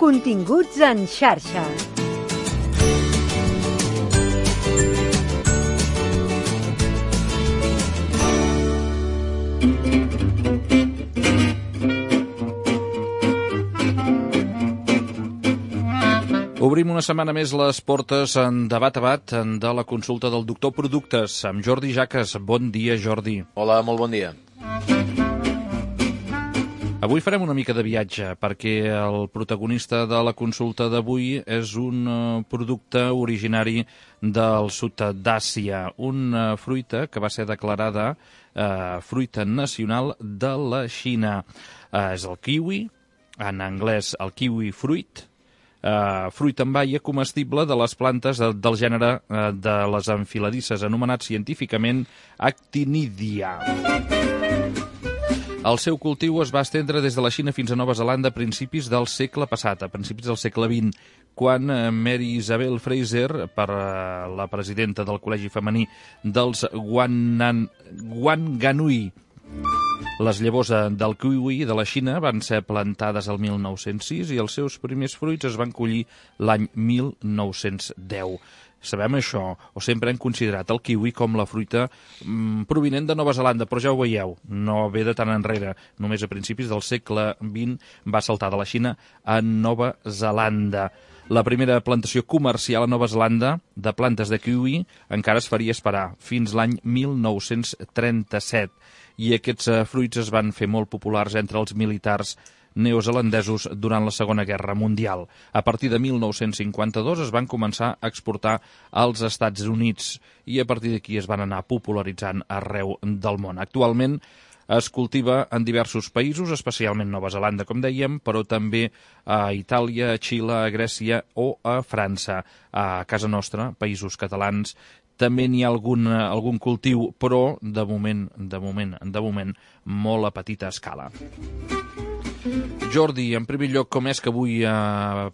Continguts en xarxa. Obrim una setmana més les portes en debat a bat de la consulta del doctor Productes amb Jordi Jaques. Bon dia, Jordi. Hola, molt bon dia. Avui farem una mica de viatge perquè el protagonista de la consulta d'avui és un producte originari del sud d'Àsia, una fruita que va ser declarada fruita nacional de la Xina. És el kiwi, en anglès el kiwi fruit, fruit en baia comestible de les plantes del gènere de les enfiladisses, anomenat científicament Actinidia. El seu cultiu es va estendre des de la Xina fins a Nova Zelanda a principis del segle passat, a principis del segle XX, quan Mary Isabel Fraser, per la presidenta del Col·legi Femení dels Wanganui, les llavors del kiwi de la Xina van ser plantades el 1906 i els seus primers fruits es van collir l'any 1910. Sabem això, o sempre hem considerat el kiwi com la fruita provinent de Nova Zelanda, però ja ho veieu, no ve de tant enrere. Només a principis del segle XX va saltar de la Xina a Nova Zelanda. La primera plantació comercial a Nova Zelanda de plantes de kiwi encara es faria esperar, fins l'any 1937. I aquests fruits es van fer molt populars entre els militars neozelandesos durant la Segona Guerra Mundial. A partir de 1952 es van començar a exportar als Estats Units i a partir d'aquí es van anar popularitzant arreu del món. Actualment es cultiva en diversos països, especialment Nova Zelanda, com dèiem, però també a Itàlia, a Xile, a Grècia o a França. A casa nostra, països catalans, també n'hi ha algun cultiu, però de moment, molt a petita escala. Jordi, en primer lloc, com és que avui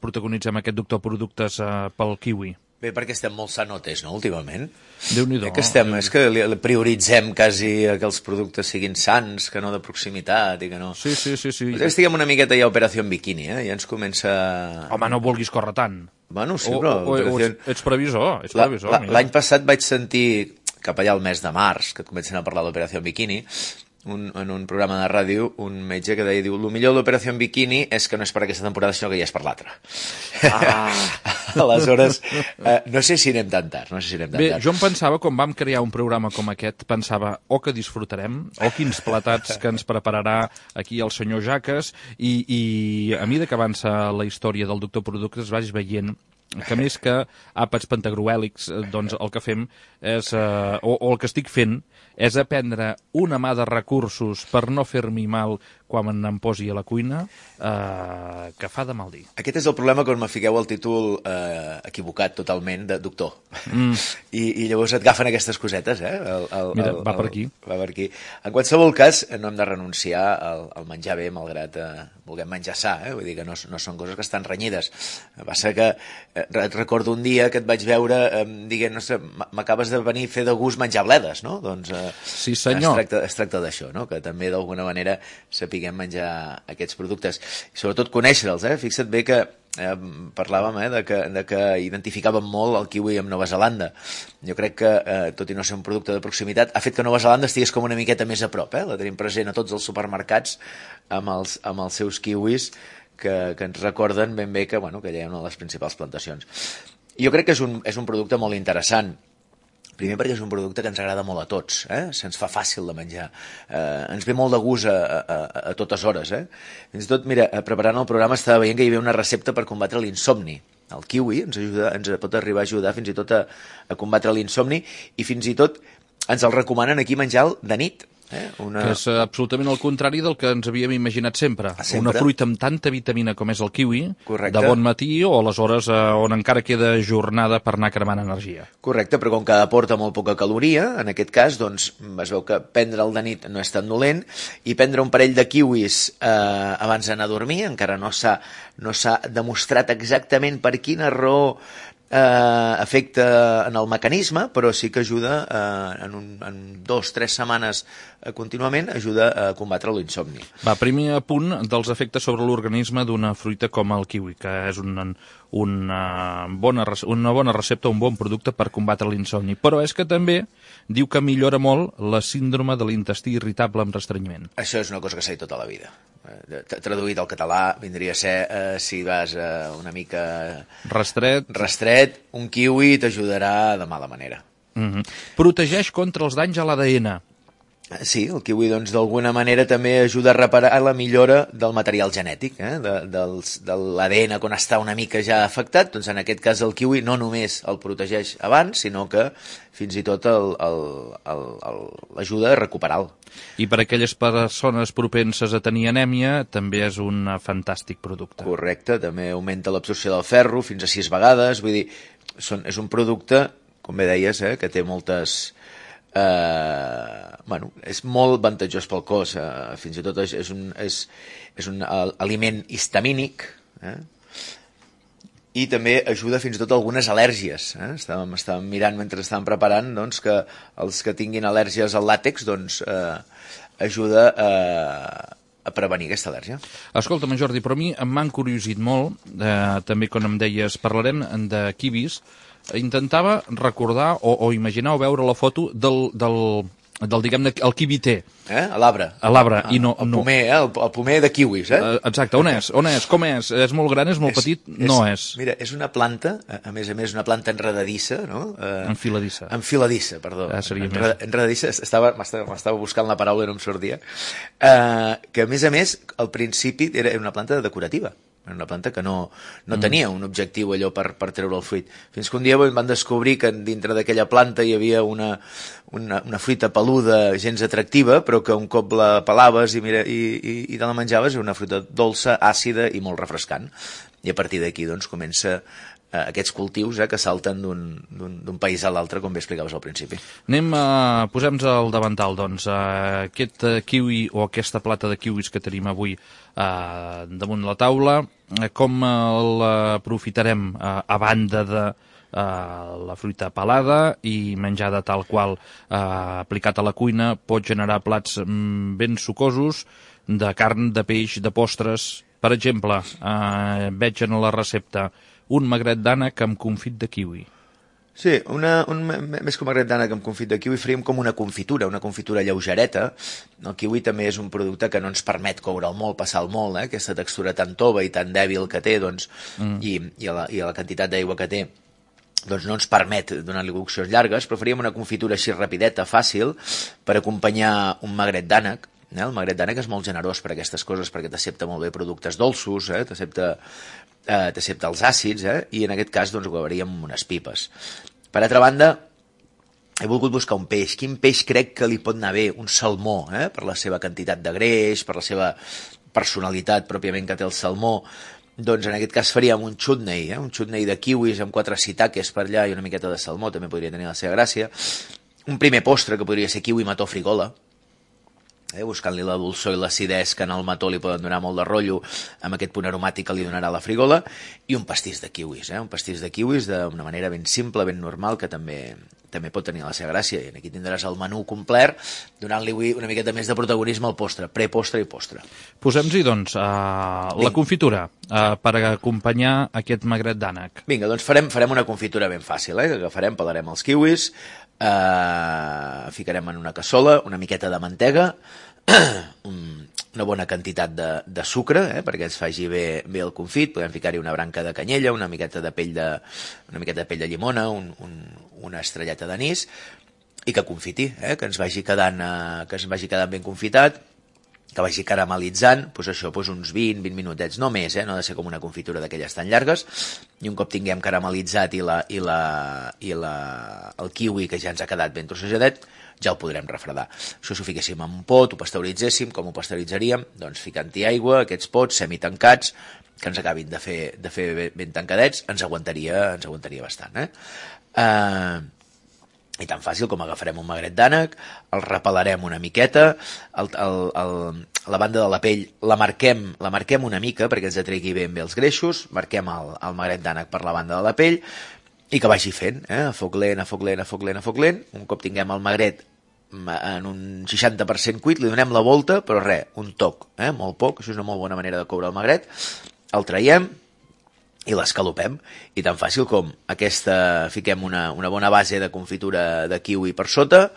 protagonitzem aquest doctor Productes pel kiwi? Bé, perquè estem molt sanotes, no, últimament? Déu-n'hi-do. És que prioritzem quasi que els productes siguin sans, que no de proximitat i que no... Sí. Estiguem una miqueta ja a Operació Bikini, ja ens comença... Home, no vulguis córrer tant. Bueno, sí, però... Ets previsor, L'any passat vaig sentir, cap allà al mes de març, que comencen a parlar d'Operació Bikini, en un programa de ràdio, un metge que deia, diu, el millor de l'Operació Bikini és que no és per aquesta temporada, sinó que ja és per l'altra. Aleshores, no sé si anem tan tard. Bé, jo em pensava, quan vam crear un programa com aquest, pensava, que disfrutarem, quins platats que ens prepararà aquí el senyor Jaques, i a mesura que avança la història del doctor Productes vaig veient que més que àpats pentagruèlics, doncs el que fem és, o el que estic fent, és aprendre una mà de recursos per no fer-m'hi mal quan em posi a la cuina, que fa de mal dir. Aquest és el problema quan me fiqueu el títol equivocat totalment de doctor. I llavors et agafen aquestes cosetes, Mira, va per aquí. Va per aquí. En qualsevol cas, no hem de renunciar al menjar bé, malgrat vulguem menjar sa, vull dir que no són coses que estan renyides. Passa que et recordo un dia que et vaig veure dient, no sé, m'acabes de venir a fer de gust menjar bledes, no? Doncs sí, senyor. Es tracta d'això, no? Que també d'alguna manera sapiguem menjar aquests productes. I sobretot conèixer-los, Fixa't bé que parlàvem de que identificàvem molt el kiwi amb Nova Zelanda. Jo crec que, tot i no ser un producte de proximitat, ha fet que Nova Zelanda estigués com una miqueta més a prop. La tenim present a tots els supermercats amb els seus kiwis que ens recorden ben bé que allà hi ha una de les principals plantacions. Jo crec que és un producte molt interessant. Primer perquè és un producte que ens agrada molt a tots, se'ns fa fàcil de menjar, ens ve molt de gust a totes hores. Fins i tot, mira, preparant el programa estava veient que hi havia una recepta per combatre l'insomni. El kiwi ens pot arribar a ajudar fins i tot a combatre l'insomni i fins i tot ens el recomanen aquí menjar de nit. Que és absolutament el contrari del que ens havíem imaginat sempre. Una fruita amb tanta vitamina com és el kiwi, correcte, de bon matí o a les hores on encara queda jornada per anar cremant energia. Correcte, però com que aporta molt poca caloria, en aquest cas, doncs es veu que prendre el de nit no és tan dolent i prendre un parell de kiwis abans d'anar a dormir encara no s'ha demostrat exactament per quina raó efecte en el mecanisme, però sí que ajuda en 2-3 setmanes contínuament, ajuda a combatre l'insomni. Va, primer punt dels efectes sobre l'organisme d'una fruita com el kiwi, que és una bona recepta, un bon producte per combatre l'insomni. Però és que també diu que millora molt la síndrome de l'intestí irritable amb restrenyiment. Això és una cosa que sé tota la vida. Traduït al català vindria a ser, si vas una mica rastret, un kiwi t'ajudarà de mala manera. Protegeix contra els danys a l'ADN. Sí, el kiwi doncs d'alguna manera també ajuda a reparar la millora del material genètic, de l'ADN quan està una mica ja afectat. Doncs en aquest cas el kiwi no només el protegeix abans, sinó que fins i tot l'ajuda a recuperar-lo. I per a aquelles persones propenses a tenir anèmia també és un fantàstic producte. Correcte, també augmenta l'absorció del ferro fins a 6 vegades, vull dir, és un producte, com bé deies, que té moltes... és molt avantatjós pel cos, fins i tot és un aliment histamínic, i també ajuda fins i tot a algunes al·lèrgies. Estàvem mirant mentre estàvem preparant doncs, que els que tinguin al·lèrgies al làtex doncs, ajuda a prevenir aquesta al·lèrgia. Escolta'm, Jordi, però a mi m'ha encuriosit molt, també quan em deies, parlarem de kiwis. Intentava recordar o imaginar o veure la foto del diguem-ne, el kiwi té. A l'arbre. A l'arbre, i no... El pomer, el pomer de kiwis, Exacte, on és? Com és? És molt gran, és molt petit? No és. Mira, és una planta, a més una planta enredadissa, no? Enfiladissa. Enfiladissa, perdó. Seria més. Enredadissa, m'estava buscant la paraula i no em sortia. Que, a més, al principi era una planta decorativa. Era una planta que no tenia un objectiu allò per treure el fruit. Fins que un dia van descobrir que dintre d'aquella planta hi havia una fruita peluda gens atractiva, però que un cop la pelaves i te la menjaves era una fruita dolça, àcida i molt refrescant. I a partir d'aquí doncs, comença aquests cultius que salten d'un país a l'altre, com bé explicaves al principi. Posem-nos al davantal, doncs. Aquest kiwi o aquesta plata de kiwis que tenim avui damunt la taula, com l'aprofitarem a banda de la fruita pelada i menjada tal qual aplicat a la cuina pot generar plats ben sucosos de carn, de peix, de postres. Per exemple, veig en la recepta un magret d'ànec amb confit de kiwi. Sí, més que un magret d'ànec amb confit de kiwi faríem com una confitura lleugereta. El kiwi també és un producte que no ens permet coure'l molt, passar-lo molt, aquesta textura tan tova i tan dèbil que té, doncs, i a la quantitat d'aigua que té, doncs no ens permet donar-li coccions llargues, però faríem una confitura així rapideta, fàcil, per acompanyar un magret d'ànec. El magret d'ànec és molt generós per aquestes coses, perquè t'accepta molt bé productes dolços, t'accepta els àcids, i en aquest cas doncs, ho acabaríem amb unes pipes. Per altra banda, he volgut buscar un peix. Quin peix crec que li pot anar bé? Un salmó, per la seva quantitat de greix, per la seva personalitat pròpiament que té el salmó. Doncs en aquest cas faríem un chutney, un chutney de kiwis amb 4 shiitakes per allà i una miqueta de salmó, també podria tenir la seva gràcia. Un primer postre que podria ser kiwi mató frigola, buscant-li la dolçor i l'acidès que en el mató li poden donar molt de rotllo amb aquest punt aromàtic que li donarà la frigola, i un pastís de kiwis, un pastís de kiwis d'una manera ben simple, ben normal, que també pot tenir la seva gràcia, i aquí tindràs el menú complet, donant-li una miqueta més de protagonisme al postre, prepostre i postre. Posem-hi, doncs, la confitura per acompanyar aquest magret d'ànec. Vinga, doncs farem una confitura ben fàcil, que agafarem, pelarem els kiwis, ficarem en una cassola una miqueta de mantega, una bona quantitat de sucre, perquè ens faci bé el confit. Podem ficar-hi una branca de canyella, una miqueta de pell de llimona, una estrelleta d'anís, i que confiti, que ens vagi quedant ben confitat, que vagi caramelitzant, uns 20 minutets, no més, no ha de ser com una confitura d'aquelles tan llargues, i un cop tinguem caramelitzat el kiwi que ja ens ha quedat ben trossejadet, ja el podrem refredar. Això s'ho fiquéssim en un pot, ho pasteuritzéssim, com ho pasteuritzaríem? Doncs ficant-hi aigua, aquests pots semitancats, que ens acabin de fer ben tancadets, ens aguantaria bastant. I tan fàcil com agafarem un magret d'ànec, el repelarem una miqueta, la banda de la pell la marquem una mica perquè ens atregui ben bé els greixos, marquem el magret d'ànec per la banda de la pell, i que vagi fent, a foc lent, a foc lent, a foc lent, a foc lent. Un cop tinguem el magret en un 60% cuit, li donem la volta, però res, un toc, molt poc, això és una molt bona manera de coure el magret, el traiem i l'escalopem, i tan fàcil com aquesta, fiquem una bona base de confitura de kiwi per sota,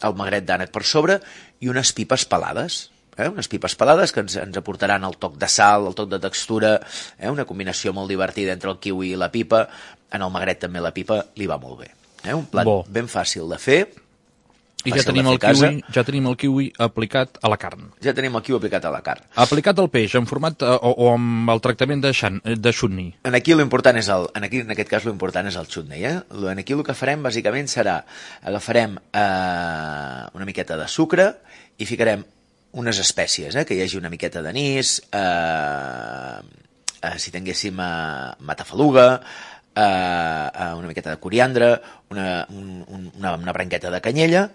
el magret d'ànec per sobre i unes pipes pelades, unes pipes pelades que ens aportaran el toc de sal, el toc de textura, una combinació molt divertida entre el kiwi i la pipa. En el magret també la pipa li va molt bé. Un plat ben fàcil de fer. I ja tenim el kiwi aplicat a la carn. Ja tenim el kiwi aplicat a la carn. Aplicat al peix, en format o amb el tractament de chutney. Aquí l'important és en aquest cas l'important és el chutney. Aquí el que farem bàsicament serà agafarem una miqueta de sucre i ficarem unes espècies, que hi hagi una miqueta d'anís, si tinguéssim matafaluga, una miqueta de coriandre, una branqueta de canyella,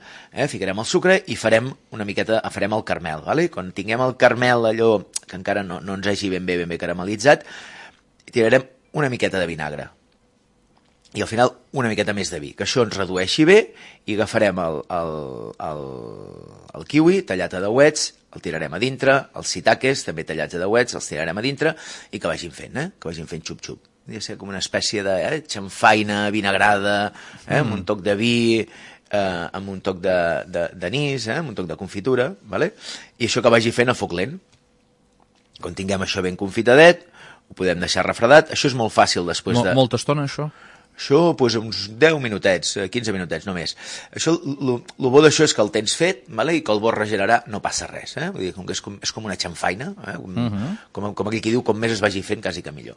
ficarem el sucre i farem el caramel. Quan tinguem el caramel allò que encara no ens hagi ben bé caramelitzat, tirarem una miqueta de vinagre i al final una miqueta més de vi, que això ens redueixi bé, i agafarem el kiwi tallat a dauets, el tirarem a dintre, els shiitakes també tallats a dauets, els tirarem a dintre i que vagin fent xup-xup. Podria ser com una espècie de xamfaina vinagrada, amb un toc de vi, amb un toc d'anís, amb un toc de confitura, i això que vagi fent a foc lent. Quan tinguem això ben confitadet, ho podem deixar refredat. Això és molt fàcil després de... Molta estona, això? Això, uns 10 minutets, 15 minutets només. Això, el bo d'això és que el tens fet, i que el bo regenerarà, no passa res. Vull dir, és com una xamfaina, com aquell qui diu, com més es vagi fent, quasi que millor.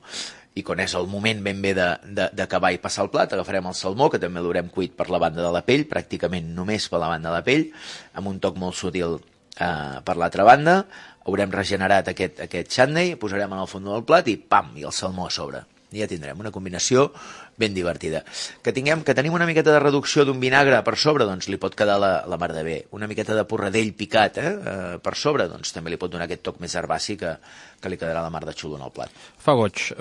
I quan és el moment ben bé d'acabar i passar el plat, agafarem el salmó, que també l'haurem cuit per la banda de la pell, pràcticament només per la banda de la pell, amb un toc molt sutil per l'altra banda, haurem regenerat aquest chutney, posarem en el fons del plat i pam, i el salmó a sobre. I ja tindrem una combinació ben divertida. Que tenim una miqueta de reducció d'un vinagre per sobre, doncs li pot quedar la mar de bé. Una miqueta de porradell picat per sobre, doncs també li pot donar aquest toc més herbaci que li quedarà la mar de xulo en el plat. Fa goig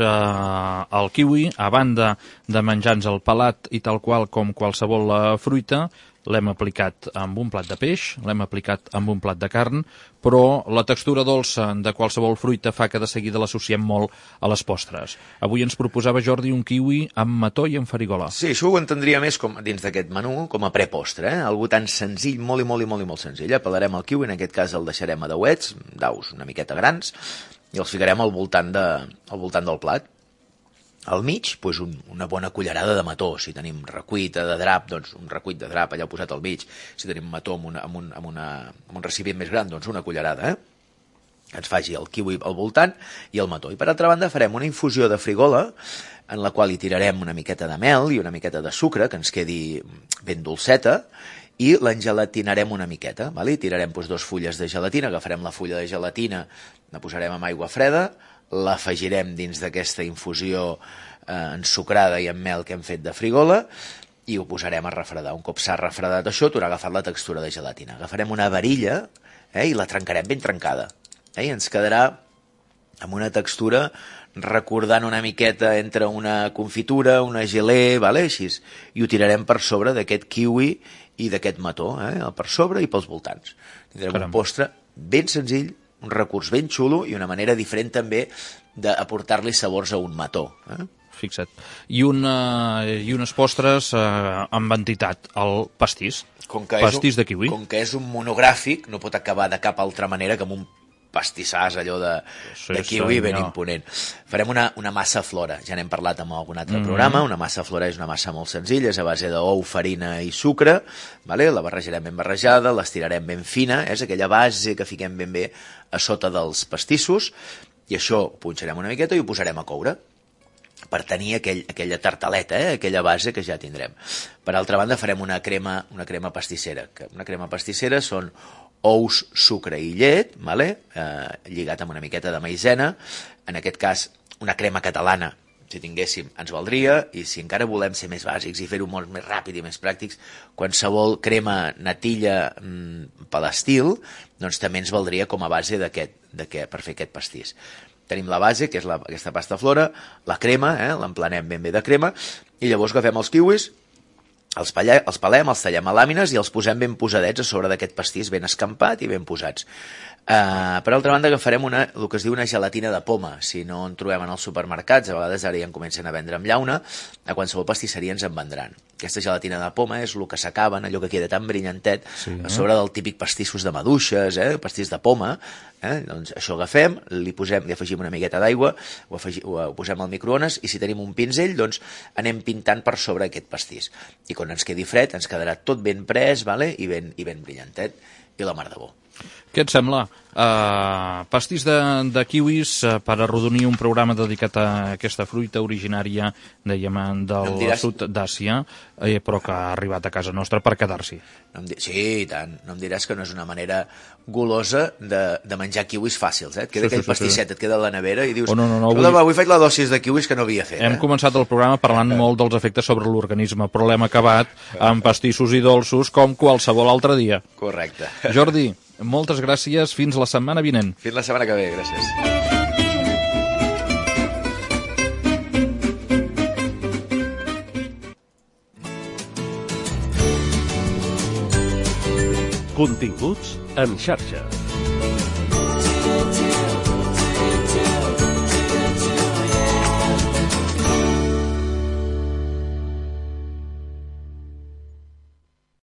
el kiwi, a banda de menjar-nos el pelat i tal qual com qualsevol fruita, l'hem aplicat amb un plat de peix, l'hem aplicat amb un plat de carn, però la textura dolça de qualsevol fruita fa que de seguida l'associem molt a les postres. Avui ens proposava Jordi un kiwi amb mató i amb farigola. Sí, això ho entendria més dins d'aquest menú com a prepostre, algú tan senzill, molt senzill. Pelarem el kiwi, en aquest cas el deixarem a dauets, daus una miqueta grans, i els ficarem al voltant del plat. Al mig, una bona cullerada de mató. Si tenim recuit de drap, doncs un recuit de drap allà posat al mig. Si tenim mató amb un recipient més gran, doncs una cullerada, que ens faci el kiwi al voltant i el mató. I per altra banda farem una infusió de frigola en la qual hi tirarem una miqueta de mel i una miqueta de sucre, que ens quedi ben dolceta, i l'engelatinarem una miqueta. Hi tirarem 2 fulles de gelatina, agafarem la fulla de gelatina, la posarem amb aigua freda, l'afegirem dins d'aquesta infusió ensucrada i amb mel que hem fet de frigola i ho posarem a refredar. Un cop s'ha refredat això, t'haurà agafat la textura de gelatina. Agafarem una varilla i la trencarem ben trencada. I ens quedarà amb una textura recordant una miqueta entre una confitura, una gelé, així, i ho tirarem per sobre d'aquest kiwi i d'aquest mató, per sobre i pels voltants. Tindrem un postre ben senzill, un recurs ben xulo i una manera diferent també d'aportar-li sabors a un mató. Fixa't. I unes postres amb entitat, el pastís. Pastís de kiwi. Com que és un monogràfic, no pot acabar de cap altra manera que amb un pastissàs allò de kiwi ben imponent. Farem una massa flora, ja n'hem parlat en algun altre programa. Una massa flora és una massa molt senzilla, és a base d'ou, farina i sucre, la barrejarem ben barrejada, l'estirarem ben fina, és aquella base que fiquem ben bé a sota dels pastissos, i això ho punxarem una miqueta i ho posarem a coure per tenir aquella tartaleta, aquella base que ja tindrem. Per altra banda farem una crema pastissera. Una crema pastissera són ous, sucre i llet, lligat amb una miqueta de maïzena. En aquest cas, una crema catalana, si tinguéssim, ens valdria, i si encara volem ser més bàsics i fer-ho molt més ràpid i més pràctics, qualsevol crema natilla per l'estil, doncs també ens valdria com a base per fer aquest pastís. Tenim la base, que és aquesta pasta flora, la crema, l'emplenem ben bé de crema, i llavors agafem els kiwis, els pelem, els tallem a làmines i els posem ben posadets a sobre d'aquest pastís, ben escampat i ben posats. Per altra banda, agafarem el que es diu una gelatina de poma. Si no en trobem en els supermercats, a vegades ara ja en comencen a vendre amb llauna, a qualsevol pastisseria ens en vendran. Aquesta gelatina de poma és el que s'acaben, allò que queda tan brillantet, a sobre del típic pastissos de maduixes, pastís de poma. Doncs això agafem, li afegim una miqueta d'aigua, ho posem al microones, i si tenim un pinzell, doncs anem pintant per sobre aquest pastís. I quan ens quedi fred, ens quedarà tot ben pres, i ben brillantet, i la mar de bo. Què et sembla? Pastís de kiwis per arrodonir un programa dedicat a aquesta fruita originària, dèiem, del sud d'Àsia, però que ha arribat a casa nostra per quedar-s'hi. Sí, i tant. No em diràs que no és una manera golosa de menjar kiwis fàcils, Et queda aquell pastisset, et queda a la nevera i dius, avui faig la dosis de kiwis que no havia fet. Hem començat el programa parlant molt dels efectes sobre l'organisme, però l'hem acabat amb pastissos i dolços com qualsevol altre dia. Correcte. Jordi, moltes gràcies. Fins la setmana vinent. Fins la setmana que ve. Gràcies. Continguts en xarxa.